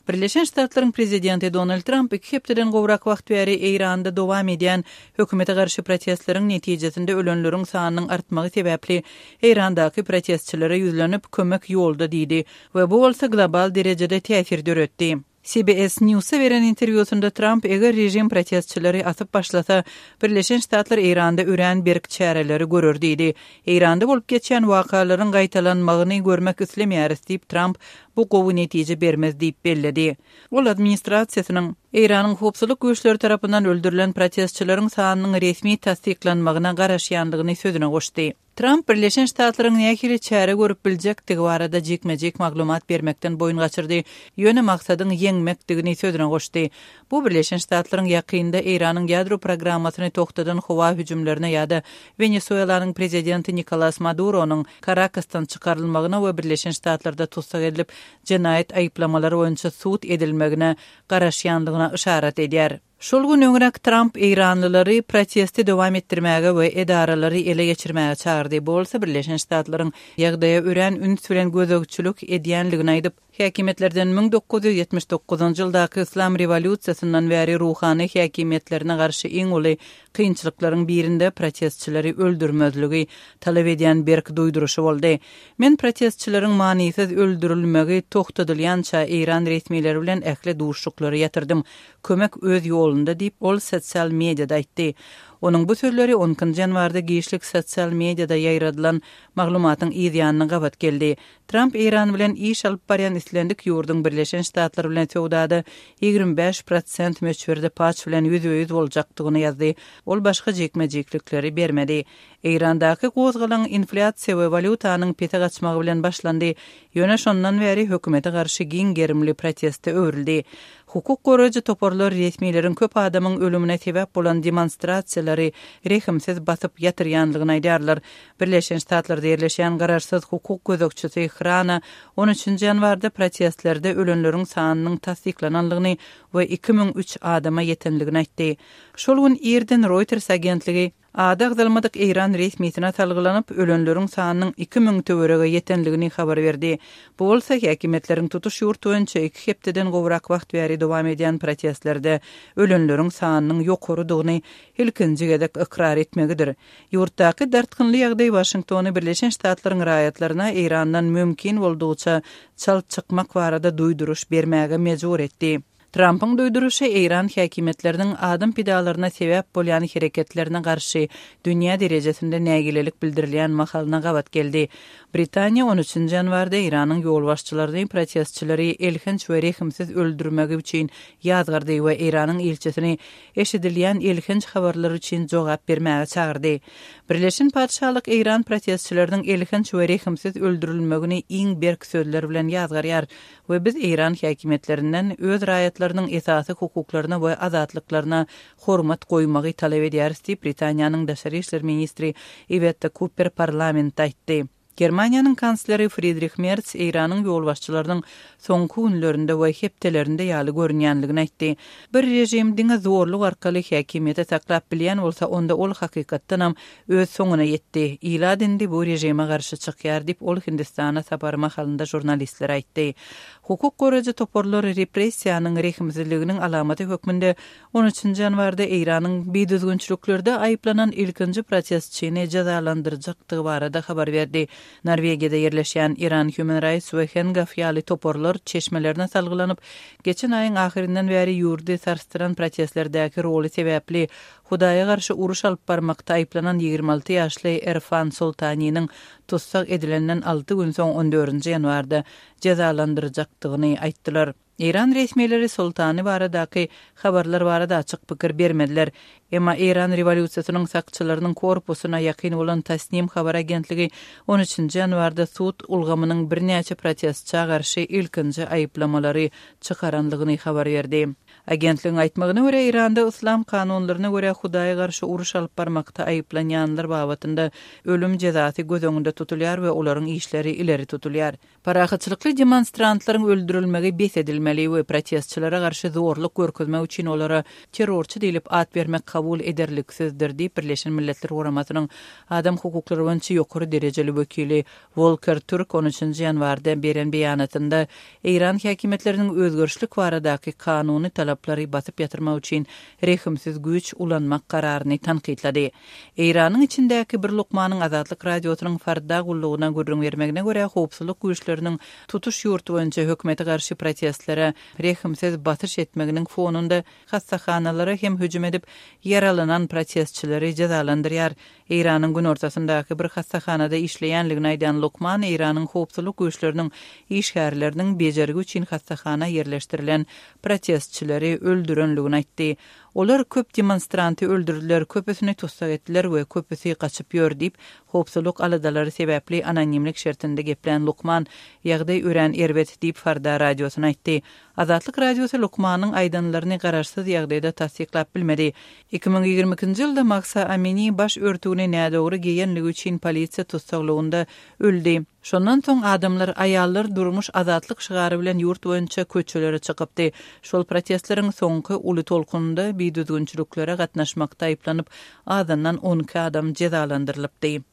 Birleşen Ştatlaryň prezidenti Donald Tramp iki hepdeden gowrak wagt bäri Eýranda dowam edýän hökümete garşy protestleriň netijesinde ölenleriň sanynyň artmagy sebäpli Eýrandaky protestçilere ýüzlenip, kömek ýolda diýdi we bu bolsa global derejede täsir döretdi. CBS News-a beren interwýusynda Tramp eger režim protestçileri asyp başlasa, Birleşen Ştatlar Eýranda örän berk çäreleri görer diýdi. Eýranda bolup geçýän wakalaryň gaýtalanmagyny görmek islemeýäris diýip, Tramp bu gowy netije bermez diýip belledi. Ol administrasiýasynyň Eýranyň howpsuzlyk güýçleri tarapyndan öldürilen protestçileriň sanynyň resmi tassyklanmagyna garaşýandygyny sözüne goşdy. Tramp Birleşen Ştatlaryň nähili çäre görüp biljekdigi barada jikme-jik maglumat bermekden boýun gaçyrdy, ýöne maksadyň ýeňmekdigini sözüne goşdy. Bu Birleşen Ştatlaryň ýakynda Eýranyň ýadro programmasyny togtadan howa hüjümlerine ýa-da Wenesuelanyň prezidenti Nikolas Maduronyň Karakasdan çykarylmagyna we Birleşen Ştatlarda tussag edilip, jenaýat aýyplamalary boýunça sud edilmegine garaşýandygyna yşarat edýär. Şol gün öňräk Tramp eýranlylary protesti dowam etdirmäge we edaralary ele geçirmäge çagyrdy, bu bolsa Birleşen Ştatlaryň ýagdaýa örän üns bilen gözegçilik edýändigini aýdyp, häkimiýetlerden 1979-njy ýyldaky yslam rewolýusiýasyndan bäri ruhany häkimiýetlerine garşy iň uly kynçylyklaryň birinde protestçileri öldürmezligi talap edýän berk duýduryşy boldy. Men protestçileriň manysyz öldürilmegi togtadylýança eýran resmileri bilen ähli duşuşyklary ýatyrdym. Kömek öz ýolunda diýip, ol sosial mediada aýtdy. Onuň bu sözleri on ikinji ýanwarda giçlik sosial mediada ýaýradylan maglumatyň yz ýanyna gabat geldi. Tramp Eýran bilen iş alyp barýan islendik ýurduň Birleşen Ştatlar bilen söwdada 25 prosent möçberde paç bilen ýüzbe-ýüz boljakdygyny ýazdy. Ol başga jikme-jiklikleri bermedi. Eýrandaky gozgalaň inflýasiýa we walýutanyň pese gaçmagy bilen başlandy, ýöne şondan bäri hökümete garşy giň gerimli proteste öwrüldi. Hukuk goraýjy toparlar resmileriň köp adamyň ölümine sebäp bolan demonstrasiýalary rehimsiz basyp ýatyrýanlygyny aýdýarlar. Birleşen Ştatlarda ýerleşýän garaşsyz hukuk gözegçisi Hrana on üçünji ýanwarda protestlerde ölenleriň sanynyň tassyklananlygyny we 2003 adama ýetenligini aýtdy. Şol gün irden Reuters agentligi Ady agzalmadyk eýran resmisine salgylanyp, ölenleriň sanynyň 2000 töwerege ýetenligini habar berdi. Bu bolsa häkimiýetleriň tutuş ýurt boýunça iki hepdeden gowrak wagt bäri dowam edýän protestlerde ölenleriň sanynyň ýokarydygyny ilkinji gezek ykrar etmegidir. Ýurtdaky dartgynly ýagdaý Waşingtony Birleşen Ştatlaryň raýatlaryna Eýrandan mümkin boldugyça çalt çykmak barada duýduryş bermäge mejbur etdi. Trampyň duýduryşy eýran häkimiýetleriniň adam pidalaryna sebäp bolýan hereketlerine garşy dünýä derejesinde nägilelik bildirilýän mahalyna gabat geldi. Britaniýa on üçünji ýanwarda Eýranyň ýolbaşçylaryny protestçileri elhenç we rehimsiz öldürmegi üçin ýazgardy we Eýranyň ilçisini eşidilýän elhenç habarlar üçin jogap bermäge çagyrdy. Birleşen Patyşalyk eýran protestçileriniň elhenç we rehimsiz öldürilmegini iň berk sözler bilen ýazgarýar we biz eýran häkimiýetlerinden öz raýatlarynyň esasy hukuklaryna we azatlyklaryna hormat goýmagy talap edýäris diýip, Britaniýanyň daşary işler ministri Iwetta Kuper parlamentde aýtdy. Germaniýanyň kansleri Fridrih Merz Eýranyň ýolbaşçylarynyň soňky günlerinde we hepdelerinde ýaly görünýänligini aýtdy. Bir režim diňe zorluk arkaly häkimiýeti saklap bilýän bolsa, onda ol hakykatdanam öz soňuna ýetdi. Ilat indi bu režime garşy çykýar diýip, ol Hindistana sapary mahalynda žurnalistlere aýtdy. Hukuk goraýjy toparlar repressiýanyň rehimsizliginiň alamaty hökmünde on üçünji ýanwarda Eýranyň bidüzgünçiliklerde aýyplanan ilkinji protestçini jezalandyrjakdygy barada habar berdi. Norwegiýada ýerleşýän Iran Human Rights we Hengaw ýaly toparlar çeşmelerine salgylanyp, geçen aýyň ahyryndan bäri ýurdy sarsdyran protestlerdäki roly sebäpli Hudaýa garşy uruş alyp barmakda aýyplanan 26 ýaşly Erfan Soltaniniň tussag edilenden alty gün soň on dördünji ýanwarda jezalandyrjakdygyny aýtdylar. Eýran resmileri Soltani baradaky habarlar barada açyk pikir bermediler. Emma Eýran rewolýusiýasynyň sakçylarynyň korpusyna ýakyn bolan Tasnim habar agentligi on üçünji ýanwarda sud ulgamynyň birnäçe protestçä garşy ilkinji aýyplamalary çykarandygyny habar berdi. Agentligiň aýtmagyna görä, Eýranda yslam kanunlaryna görä Hudaýa garşy uruş alyp barmakda aýyplanýanlar babatynda ölüm jezasy göz öňünde tutulýar we olaryň işleri ileri tutulýar. Parahatçylykly demonstrantlaryň öldürilmegi bes edilmeli we protestçilere garşy zorluk görkezmek üçin olara terrorçy diýlip at bermek kabul ederliksizdir diýip, Birleşen Milletler Guramasynyň adam hukuklary boýunça ýokary derejeli wekili Wolker Türk on üçünji ýanwarda beren beýanatynda eýran häkimiýetleriniň özgerişlik baradaky kanuny talaplary basyp ýatyrmak üçin rehimsiz güýç ulanmak kararyny tankytlady. Eýranyň içindäki bir lukmanyň Azatlyk Radiosynyň Farda gullugyna gürrüň bermegine görä, howpsuzlyk güýçleriniň tutuş ýurt boýunça hökümete garşy protestlere rehimsiz basyş etmeginiň fonunda hassahanalara hem hüjüm edip, ýaralanan protestçileri jezalandyrýar. Eýranyň günortasyndaky bir hassahanada işleýänligini aýdan lukman Eýranyň howpsuzlyk güýçleriniň işgärleriniň bejergi üçin hassahana ýerleşdirilen protestçileri öldürenligini aýtdy. Olar köp demonstranty öldürdiler, köpüsini tussag etdiler we köpüsi gaçyp ýör diýip, howpsuzlyk aladalary sebäpli anonimlik şertinde geplän lukman, Ýagdaý örän erbet diýip, Farda radiosyna aýtdy. Azatlyk Radiosy lukmanyň aýdanlaryny garaşsyz ýagdaýda tassyklap bilmedi. 2022-nji ýylda Mahsa Amini baş örtügini nädogry geýenligi üçin polisiýa tussaglygynda öldi. Şondan soň adamlar Aýallar, durmuş, azatlyk şygary bilen ýurt boýunça köçelere çykypdy. Şol protestleriň soňky uly tolkunynda bidüzgünçiliklere gatnaşmakda aýyplanyp, azyndan 12 adam jezalandyrylypdy.